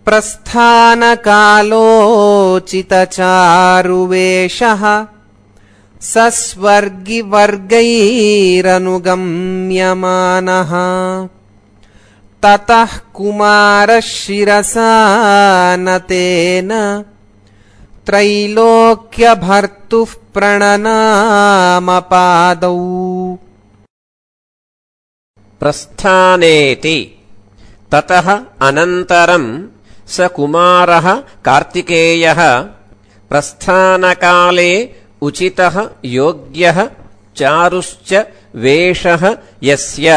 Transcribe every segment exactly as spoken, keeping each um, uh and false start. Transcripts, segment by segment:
प्रस्थानकालोचितचारुवेषः सस्वर्गिवर्गैरनुगम्यमानः ततः कुमारः शिरसा नतेन त्रैलोक्यभर्तुः प्रणनामपादौ। प्रस्थानेति ततः अनन्तरं स कुमारः कार्तिकेयः प्रस्थानकाले उचितः योग्यः चारुश्च वेषः यस्य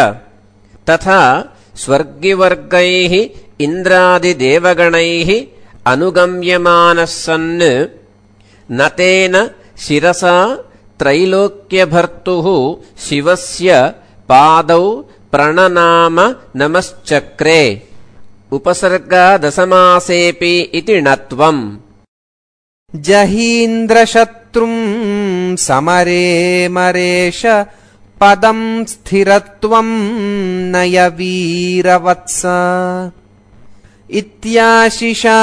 तथा स्वर्गिवर्गैः इन्द्रादिदेवगणैः अनुगम्यमानः सन् नतेन शिरसा त्रैलोक्यभर्तुः शिवस्य पादौ प्रणनाम नमश्चक्रे। उपसर्गादसमासेऽपि इति णत्वम्। जहीन्द्रशत्रुं समरे मरेश पदं स्थिरत्वं नय वीरवत्स इत्याशिषा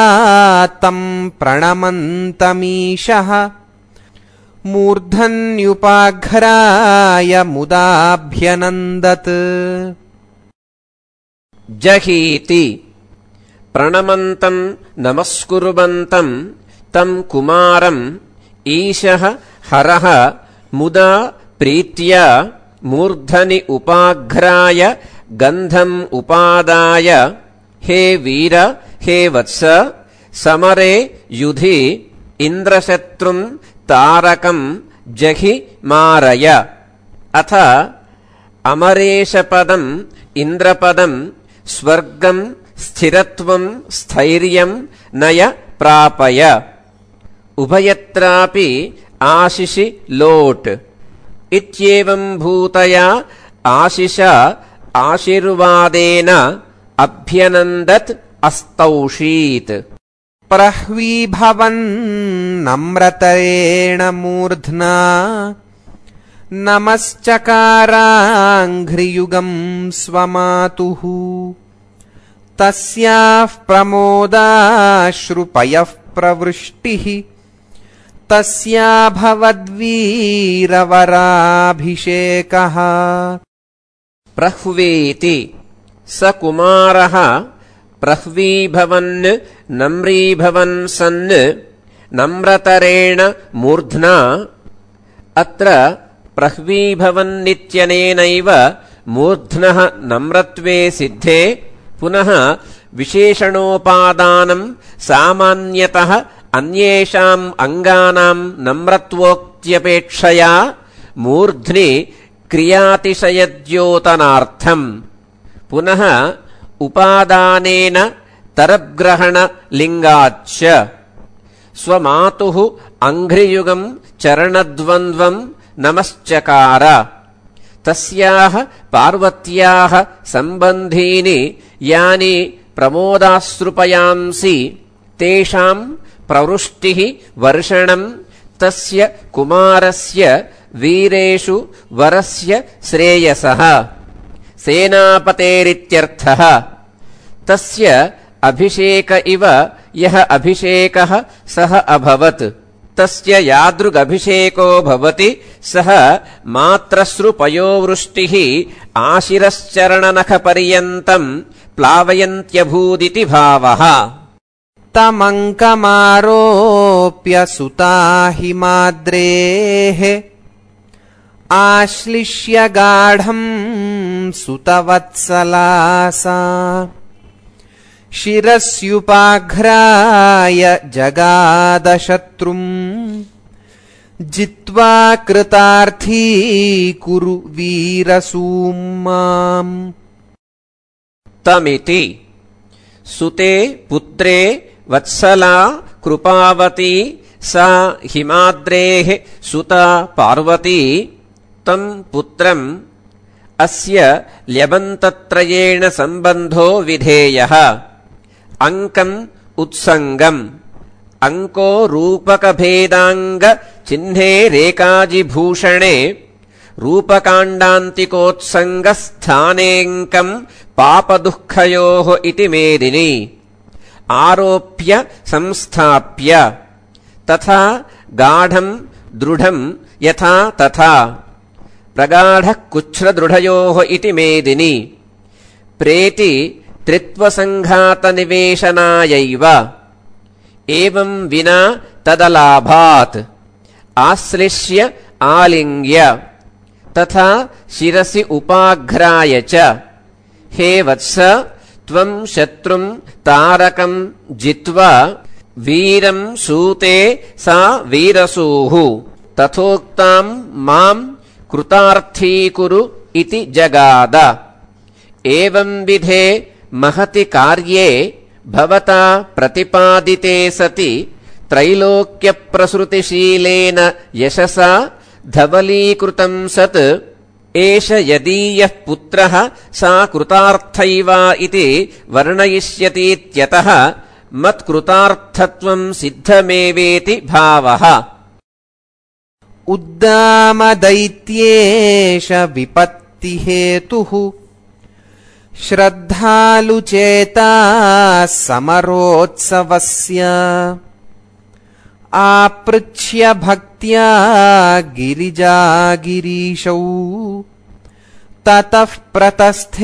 तं प्रणमन्तमीशः मूर्धन्युपाघ्राय मुदाभ्यनन्दत्। जहीति प्रणमन्तं नमस्कुर्वन्तं तं कुमारम् ईशः हरः मुदा प्रीत्या मूर्धनि उपाघ्राय गन्धम् उपादाय हे वीर हे वत्स समरे युधि इन्द्रशत्रुं तारकं जहि मारय। अथ अमरेशपदं इन्द्रपदं स्वर्गं स्थिरत्वं स्थैर्यं नय प्रापय। उभयत्रापि आशिषि लोट् इत्येवं भूतया आशिषा आशीर्वादेन अभ्यनन्दत् अस्तौषीत्। प्रह्वीभवन्नम्रतरेण मूर्ध्ना नमश्चकाराङ्घ्रियुगं स्वमातुः तस्याः प्रमोदाश्रुपयः प्रवृष्टिः तस्याभवद्वीरवराभिषेकः। प्रह्वीति स कुमारः प्रह्वीभवन् नम्रीभवन् सन् नम्रतरेण मूर्ध्ना। अत्र प्रह्वीभवन्नित्यनेनैव मूर्ध्नः नम्रत्वे सिद्धे पुनः विशेषणोपादानं सामान्यतः अन्येषाम् अङ्गानां नम्रत्वोक्त्यपेक्षया मूर्ध्नि क्रियातिशयद्योतनार्थम् पुनः उपादानेन तरग्रहणलिङ्गाच्च स्वमातुः अङ्घ्रियुगं चरणद्वन्द्वं नमश्चकार। तस्याः पार्वत्याः सम्बन्धीनि यानि प्रमोदाश्रुपयांसि तेषां प्रवृष्टिः वर्षणं तस्य कुमारस्य वीरेषु वरस्य श्रेयसः सेनापतेरित्यर्थः। तस्य अभिषेक इव यः अभिषेकः सः अभवत् तस्य यादृगभिषेको भवति सः मात्रश्रुपयोवृष्टिः आशिरश्चरणनखपर्यन्तं प्लावयन्त्यभूदिति भावः। तमङ्कमारोप्य सुता हिमाद्रेः आश्लिष्य गाढं सुतवत्सलासा शिरस्युपाघ्राय जगादशत्रुं जित्वा कृतार्थी कुरु वीरसूम्माम्। तमिति सुते पुत्रे वत्सला कृपावती सा हिमाद्रेः सुता पार्वती तं पुत्रम् अस्य ल्यबन्तत्रयेण सम्बन्धो विधेयः। अङ्कम् उत्सङ्गम् अङ्को रूपकभेदाङ्ग चिह्ने रेकाजिभूषणे रूपकाण्डान्तिकोत्सङ्गस्थानेऽङ्कम् पापदुःखयोः इति मेदिनी। आरोप्य संस्थाप्य तथा गाढं दृढं यथा तथा प्रगाढः कुच्छ्रदृढयोः इति मेदिनि प्रेति त्रित्वसङ्घातनिवेशनायैव एवं विना तदलाभात् आश्लिष्य आलिङ्ग्य तथा शिरसि उपाघ्राय च हे वत्स त्वं शत्रुं तारकं जित्वा वीरं सूते सा वीरसूः तथोक्तां मां कृतार्थीकुरु इति जगाद एवं विधे महति कार्ये भवता प्रतिपादिते सति त्रैलोक्यप्रसृतिशीलेन यशसा धवलीकृतं सत् एष यदीयः पुत्रः सा कृतार्थैवा इति वर्णयिष्यतीत्यतः मत्कृतार्थत्वं सिद्धमेवेति भावः। उद्दामदैत्येष विपत्तिहेतुः श्रद्धालुचेता समरोत्सवस्य आपृच्छ्य भक्त्या गिरिजागिरीशौ ततः प्रतस्थेऽभिदिवं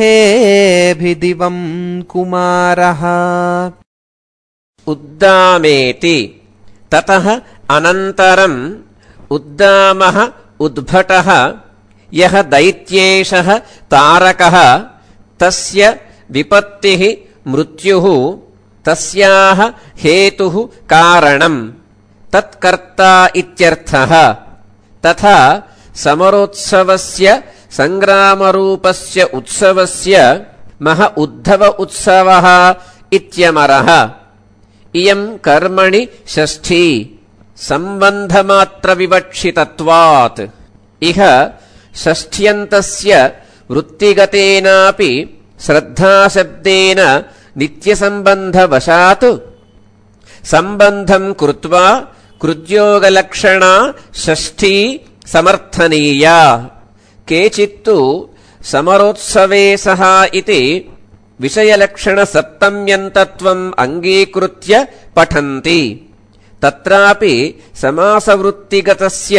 कुमारः। उद्दामेति ततः अनन्तरम् उद्दामः उद्भटः यः दैत्येशः तारकः तस्य विपत्तिः मृत्युः तस्याः हेतुः कारणम् तत्कर्ता इत्यर्थः। तथा समरोत्सवस्य सङ्ग्रामरूपस्य उत्सवस्य मह उद्धव उत्सवः इत्यमरः। इयम् कर्मणि षष्ठी सम्बन्धमात्रविवक्षितत्वात् इह षष्ठ्यन्तस्य वृत्तिगतेनापि श्रद्धाशब्देन नित्यसम्बन्धवशात् सम्बन्धं कृत्वा कृद्योगलक्षणा षष्ठी समर्थनीया। केचित्तु समरोत्सवे सः इति विषयलक्षणसप्तम्यन्तत्वम् अङ्गीकृत्य पठन्ति। तत्रापि समासवृत्तिगतस्य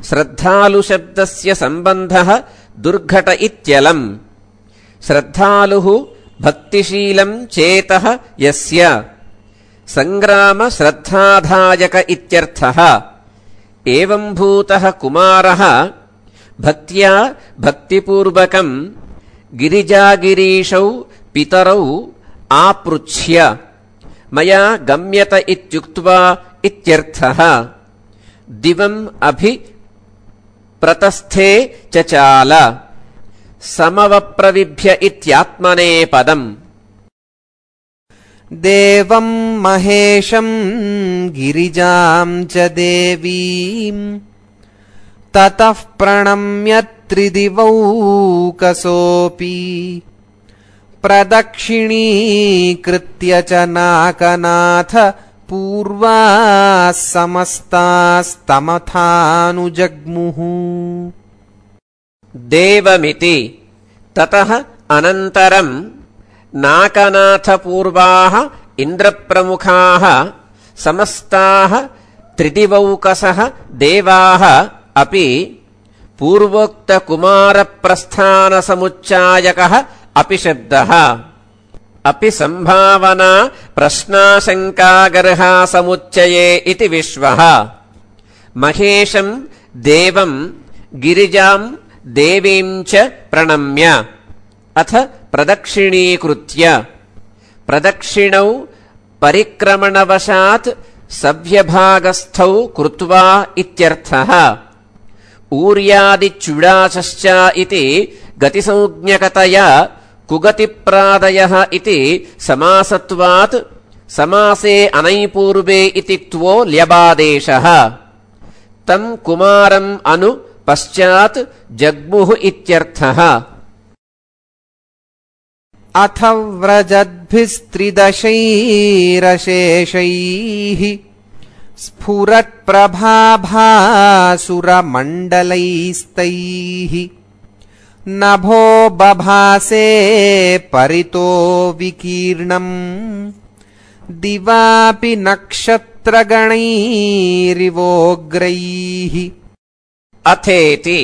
श्रद्धालुशब्दस्य सम्बन्धः दुर्घट इत्यलम्। श्रद्धालुः भक्तिशीलं चेतः यस्य सङ्ग्रामश्रद्धाधायक इत्यर्थः। एवम्भूतः कुमारः भक्त्या भक्तिपूर्वकम् गिरिजागिरीशौ पितरौ आपृच्छ्य मया गम्यत इत्युक्त्वा इत्यर्थः। दिवम् अभि प्रतस्थे चचाल समवप्रविभ्य इत्यात्मने पदम्। देवं महेशं गिरिजां च देवीं ततः प्रणम्य त्रिदिवौकसोऽपि प्रदक्षिणीकृत्य च नाकनाथ पूर्वाः समस्तास्तमथानुजग्मुः। देवमिति ततः अनन्तरम् नाकनाथपूर्वाः इन्द्रप्रमुखाः समस्ताः त्रिदिवौकसः देवाः अपि पूर्वोक्तकुमारप्रस्थानसमुच्चायकः अपि शब्दः। अपि सम्भावना प्रश्नाशङ्कागर्हा समुच्चये इति विश्वः। महेशं देवं गिरिजां देवीं च प्रणम्य अथ प्रदक्षिणीकृत्य प्रदक्षिणौ परिक्रमणवशात् सव्यभागस्थौ कृत्वा इत्यर्थः। ऊर्यादिचुडाचश्च इति गतिसंज्ञकतया कुगतिप्रादयः इति समासत्वात् समासे अनैपूर्वे इति क्त्वो ल्यबादेशः। तम् कुमारम् अनु पश्चात् जग्मुः इत्यर्थः। अथ व्रजद्भिस्त्रिदशैरशेषैः स्फुरत्प्रभाभासुरमण्डलैस्तैः नभो बभासे परितो विकीर्णम् दिवापि नक्षत्रगणैरिवोग्रैः अथेति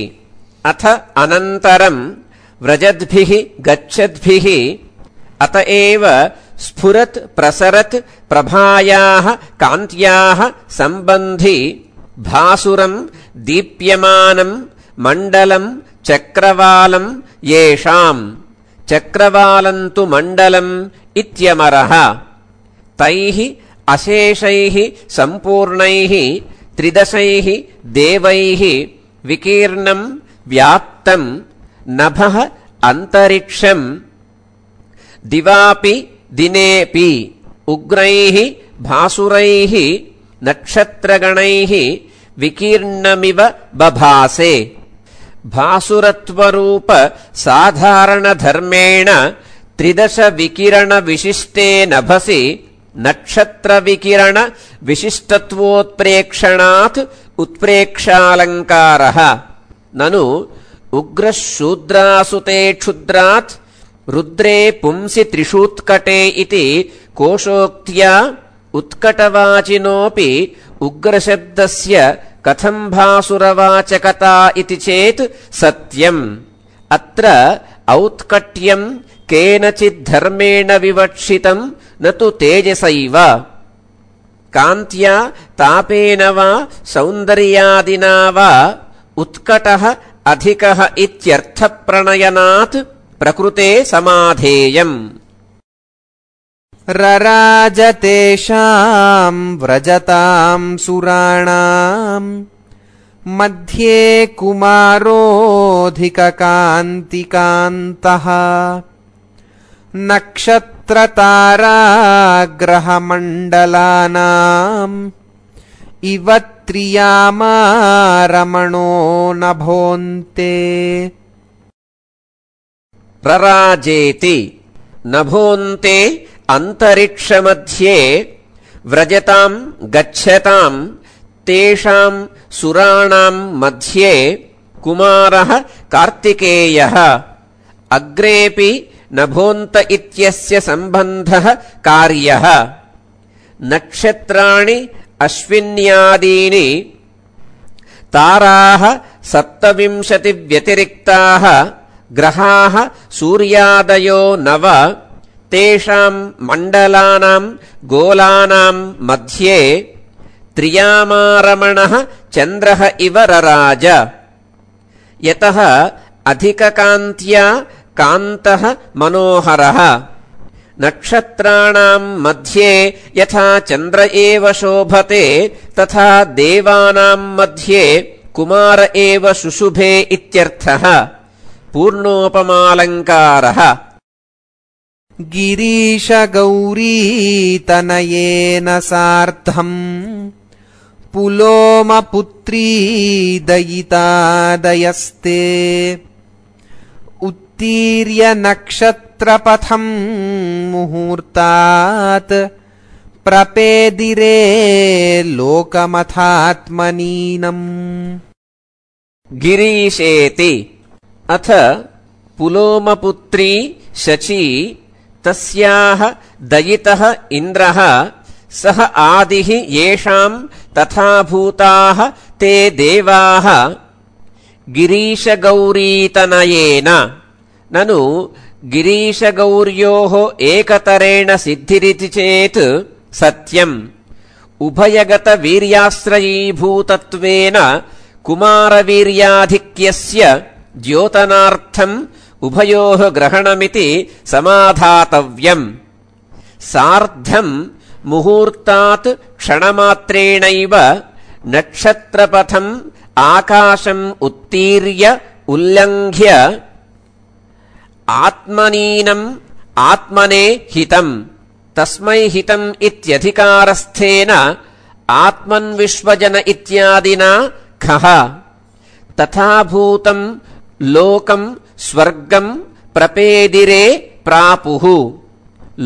अथ अनन्तरम् व्रजद्भिः गच्छद्भिः अत एव स्फुरत् प्रसरत् प्रभायाः कान्त्याः सम्बन्धि भासुरम् दीप्यमानम् मण्डलम् चक्रवालम् येषाम् चक्रवालम् तु मण्डलम् इत्यमरः तैः अशेषैः सम्पूर्णैः त्रिदशैः देवैः विकीर्णम् व्याप्तम् नभः अन्तरिक्षम् दिवापि दिनेऽपि उग्रैः भासुरैः नक्षत्रगणैः विकीर्णमिव बभासे भासुरत्वरूप साधारणधर्मेण त्रिदश विकिरण विशिष्टे नभसि नक्षत्रविकिरण विशिष्टत्वोत्प्रेक्षणात् उत्प्रेक्षालङ्कारः ननु उग्रः शूद्रासुते क्षुद्रात् रुद्रे पुंसि त्रिषूत्कटे इति कोशोक्त्या उत्कटवाचिनोऽपि उग्रशब्दस्य कथम् भासुरवाचकता इति चेत् सत्यम् अत्र औत्कट्यम् केनचिद्धर्मेण विवक्षितम् न तु तेजसैव कान्त्या तापेन वा सौन्दर्यादिना वा उत्कटः अधिकः इत्यर्थप्रणयनात् प्रकृते समाधेयम् रराजतेषाम् व्रजताम् सुराणाम् मध्ये कुमारोऽधिककान्तिकान्तः नक्षत्रताराग्रहमण्डलानाम् इव त्रियामा रमणो नभोऽन्ते रराजेति नभोऽन्ते अन्तरिक्षमध्ये व्रजताम् गच्छताम् तेषाम् सुराणाम् मध्ये कुमारः कार्तिकेयः अग्रेऽपि नभोऽन्त इत्यस्य सम्बन्धः कार्यः नक्षत्राणि अश्विन्यादीनि ताराः सप्तविंशतिव्यतिरिक्ताः ग्रहाः सूर्यादयो नव तेषाम् मण्डलानाम् गोलानाम् मध्ये त्रियामारमणः चन्द्रः इव रराज यतः अधिककान्त्या कान्तः मनोहरः नक्षत्राणाम् मध्ये यथा चन्द्र एव शोभते तथा देवानाम् मध्ये कुमार एव शुशुभे इत्यर्थः पूर्णोपमालङ्कारः गिरीशगौरीतनयेन सार्धम् पुलोमपुत्री दयितादयस्ते उत्तीर्य नक्षत्रपथम् मुहूर्तात् प्रपेदिरे लोकमथात्मनीनम् गिरीशेति अथ पुलोमपुत्री शची तस्याः दयितः इन्द्रः सः आदिः येषाम् तथा भूताः ते देवाः गिरीशगौरीतनयेन ननु गिरीशगौर्योः एकतरेण सिद्धिरिति चेत् सत्यम् उभयगतवीर्याश्रयीभूतत्वेन कुमारवीर्याधिक्यस्य द्योतनार्थम् उभयोः ग्रहणमिति समाधातव्यम् सार्धम् मुहूर्तात् क्षणमात्रेणैव नक्षत्रपथम् आकाशम् उत्तीर्य उल्लङ्घ्य आत्मनीनम् आत्मने हितम् तस्मै हितम् इत्यधिकारस्थेन आत्मन्विश्वजन इत्यादिना खः तथा भूतम् लोकम् स्वर्गम् प्रपेदिरे प्रापुः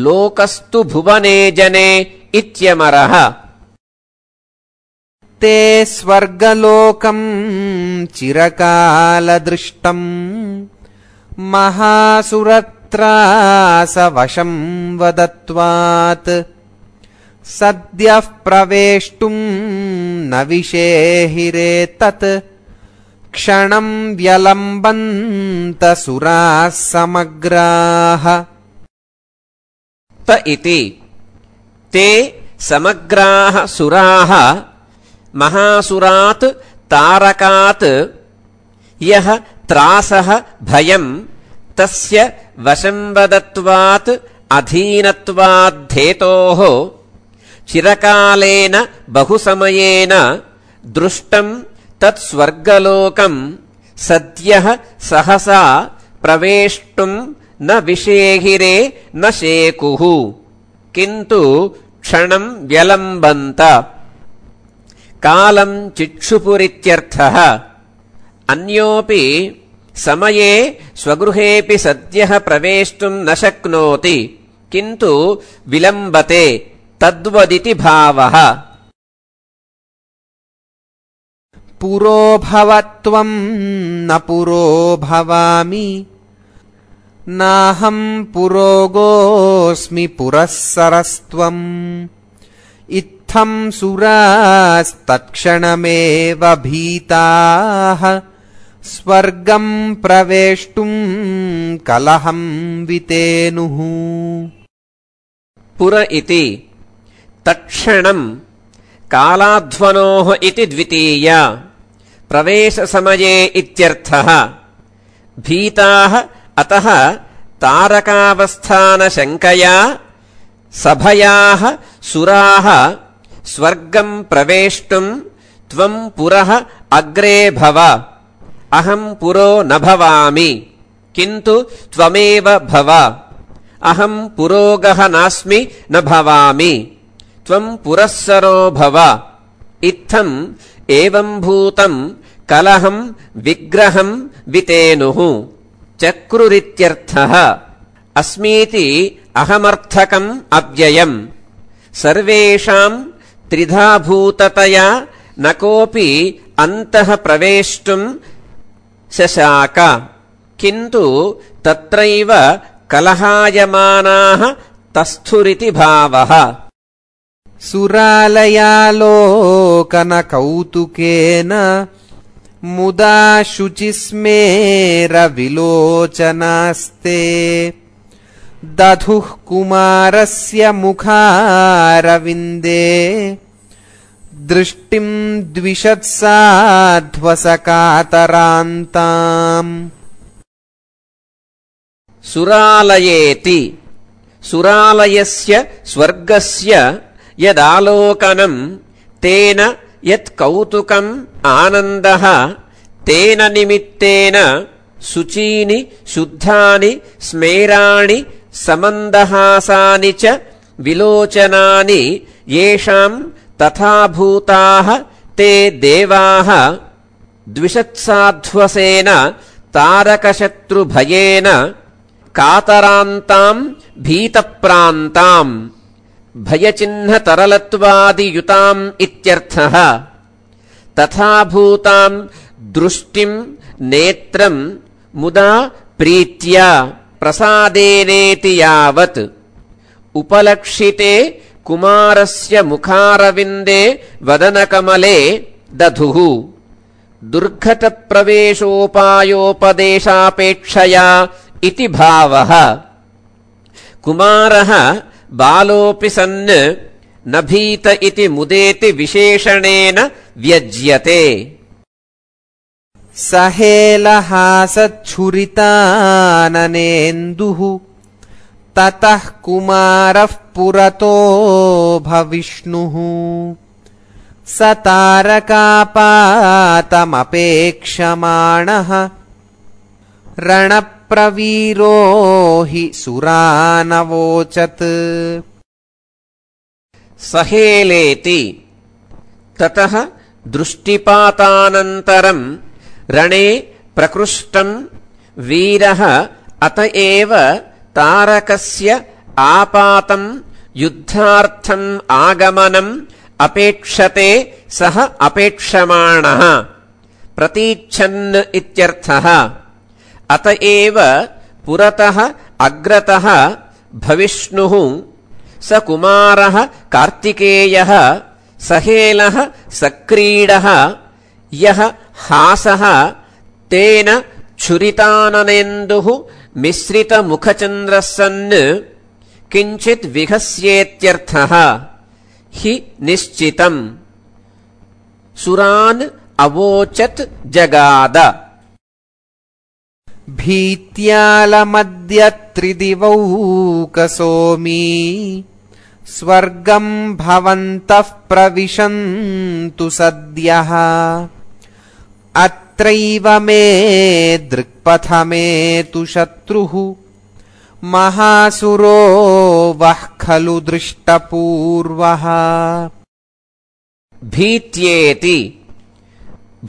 लोकस्तु भुवने जने इत्यमरः ते स्वर्गलोकम् चिरकालदृष्टम् महासुरत्रासवशम् वदत्वात् सद्यः प्रवेष्टुम् न विषेहिरे तत् क्षणम् व्यलम्बन्त सुराः समग्राः त इति ते समग्राः सुराः महासुरात् तारकात् यः त्रासः भयम् तस्य वशंवदत्वात् अधीनत्वाद्धेतोः चिरकालेन बहुसमयेन दृष्टम् तत्स्वर्गलोकम् सद्यः सहसा प्रवेष्टुम् न विषेहिरे न शेकुः किन्तु क्षणम् व्यलम्बन्त कालम् चिक्षुपुरित्यर्थः अन्योऽपि समये स्वगृहेऽपि सद्यः प्रवेष्टुम् न शक्नोति किन्तु विलम्बते तद्वदिति भावः पुरो भवत्वम् न पुरो भवामि नाहम् पुरोगोऽस्मि पुरःसरस्त्वम् इत्थम् सुरास्तत्क्षणमेव भीताः स्वर्गम् प्रवेष्टुम् कलहम् वितेनुः पुर इति तत्क्षणम् कालाध्वनोः इति द्वितीया प्रवेशसमये इत्यर्थः भीताः अतः तारकावस्थानशङ्कया सभयाः सुराः स्वर्गम् प्रवेष्टुम् त्वम् पुरः अग्रे भव अहम् पुरो न भवामि किन्तु त्वमेव भव अहम् पुरोगः नास्मि न भवामि त्वम् पुरःसरो भव इत्थम् एवम्भूतम् कलहम् विग्रहम् वितेनुः चक्रुरित्यर्थः अस्मीति अहमर्थकम् अव्ययम् सर्वेषाम् त्रिधाभूततया न कोऽपि अन्तः प्रवेष्टुम् शशाक किन्तु तत्रैव कलहायमानाः तस्थुरिति भावः सुरालयालोकनकौतुकेन मुदा शुचिस्मेरविलोचनास्ते दधुः कुमारस्य मुखारविन्दे दृष्टिम् द्विषत्साध्वसकातरान्ताम् सुरालयेति सुरालयस्य स्वर्गस्य यदालोकनम् तेन यत्कौतुकम् आनन्दः तेन निमित्तेन शुचीनि शुद्धानि स्मेराणि समन्दहासानि च विलोचनानि येषाम् तथाभूताः ते देवाः द्विषत्साध्वसेन तारकशत्रुभयेन कातरान्ताम् भीतप्रान्ताम् भयचिह्नतरलत्वादियुताम् इत्यर्थः तथाभूताम् दृष्टिम् नेत्रम् मुदा प्रीत्या प्रसादेनेति यावत् उपलक्षिते कुमारस्य मुखारविन्दे वदनकमले दधुः दुर्घटप्रवेशोपायोपदेशापेक्षया इति भावः कुमारः बालोऽपि सन् न भीत इति मुदेति विशेषणेन व्यज्यते सहेलहासच्छुरिताननेन्दुः ततः कुमारः पुरतो भविष्णुः स तारकापातमपेक्षमाणः रणप्रवीरो हि सुरानवोचत् सहेलेति ततः दृष्टिपातानन्तरम् रणे प्रकृष्टम् वीरः अत एव तारकस्य आपातम् युद्धार्थम् आगमनम् अपेक्षते सः अपेक्षमाणः प्रतीच्छन् इत्यर्थः अत एव पुरतः अग्रतः भविष्णुः स कुमारः कार्तिकेयः सहेलः सक्रीडः यः हासः तेन छुरिताननेन्दुः मिश्रितमुखचन्द्रः सन् किञ्चित् विहस्येत्यर्थः हि निश्चितम् सुरान् अवोचत् जगाद भीत्यालमद्य त्रिदिवौकसोमी स्वर्गम् भवन्तः प्रविशन्तु सद्यः अत्रैव मे दृक्पथमेतु शत्रुः महासुरो वः खलु दृष्टपूर्वः भीत्येति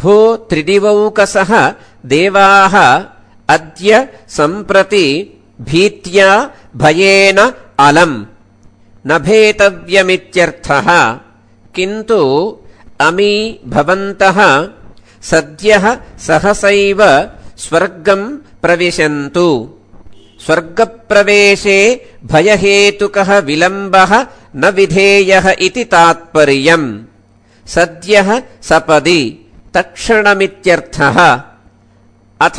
भो त्रिदिवौकसः देवाः अद्य सम्प्रति भीत्या भयेन अलम् न भेतव्यमित्यर्थः किन्तु अमी भवन्तः सद्यः सहसैव स्वर्गम् प्रविशन्तु स्वर्गप्रवेशे भयहेतुकः विलम्बः न विधेयः इति तात्पर्यम् सद्यः सपदि तत्क्षणमित्यर्थः अथ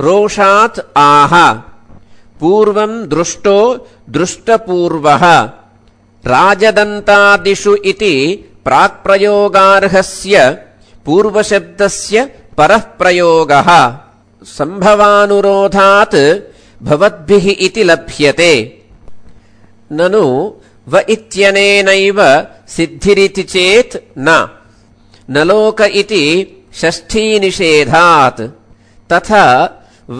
रोषात् आह पूर्वम् दृष्टो दृष्टपूर्वः राजदन्तादिषु इति प्राक्प्रयोगार्हस्य पूर्वशब्दस्य परः प्रयोगः सम्भवानुरोधात् भवद्भिः इति लभ्यते ननु व इत्यनेनैव सिद्धिरिति चेत् न न लोक इति षष्ठीनिषेधात् तथा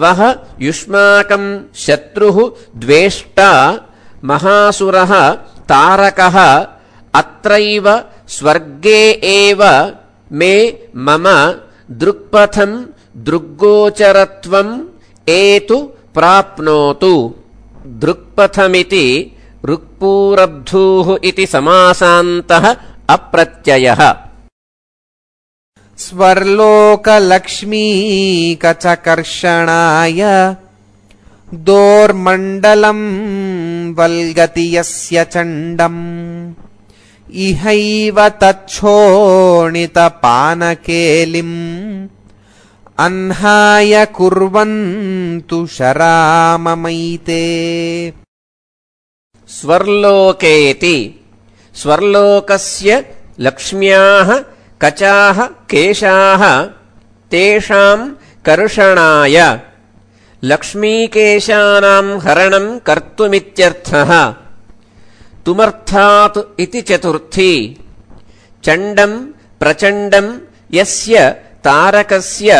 वः युष्माकम् शत्रुः द्वेष्टा महासुरः तारकः अत्रैव स्वर्गे एव मे मम दृक्पथम् दृग्गोचरत्वम् एतु प्राप्नोतु दृक्पथमिति ऋक्पूरब्धूः इति समासान्तः अप्रत्ययः स्वर्लोकलक्ष्मीकचकर्षणाय दोर्मण्डलम् वल्गति यस्य चण्डम् इहैव तच्छोणितपानकेलिम् अह्नाय कुर्वन्तु शराममैते स्वर्लोकेति स्वर्लोकस्य लक्ष्म्याः कचाः केशाः तेषाम् कर्षणाय लक्ष्मीकेशानाम् हरणम् कर्तुमित्यर्थः तुमर्थात् इति चतुर्थी चण्डम् प्रचण्डम् यस्य तारकस्य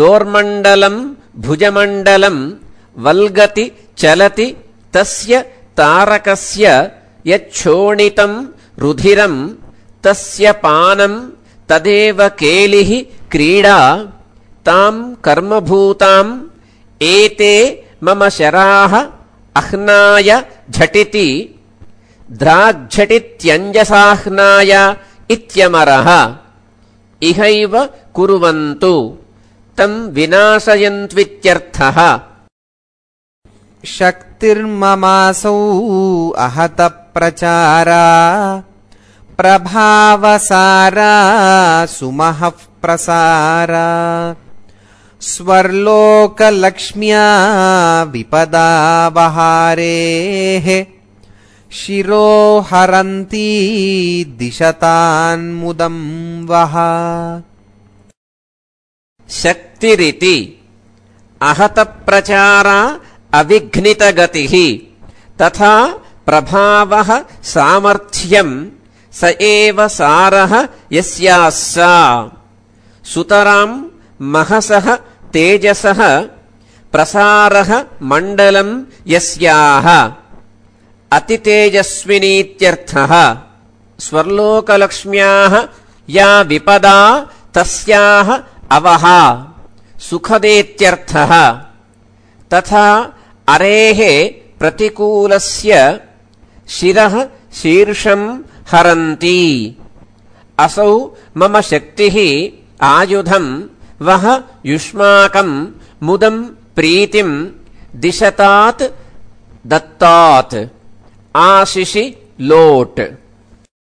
दोर्मण्डलम् भुजमण्डलम् वल्गति चलति तस्य तारकस्य यच्छोणितम् रुधिरम् तस्य पानम् तदेव केलिः क्रीडा ताम् कर्मभूताम् एते मम शराः अह्नाय झटिति द्राग्झटित्यञ्जसाह्नाय इत्यमरः इहैव कुर्वन्तु तम् विनाशयन्त्वित्यर्थः शक्तिर्ममासौ अहत प्रचारा प्रभावसारा सुमहः प्रसारा स्वर्लोकलक्ष्म्या विपदावहारेः शिरो हरन्ती दिशतान्मुदम् वः शक्तिरिति अहतप्रचारा अविघ्नितगतिः तथा प्रभावः सामर्थ्यम् स एव सारः यस्यास्सा सुतराम् महसः तेजसः प्रसारः मण्डलम् यस्याः अतितेजस्विनीत्यर्थः स्वर्लोकलक्ष्म्याः या विपदा तस्याः अवः सुखदेत्यर्थः तथा अरेः प्रतिकूलस्य शिरः शीर्षम् हरन्ति असौ मम शक्तिः आयुधम् वः युष्माकम् मुदम् प्रीतिम् दिशतात् दत्तात् आशिषि लोट्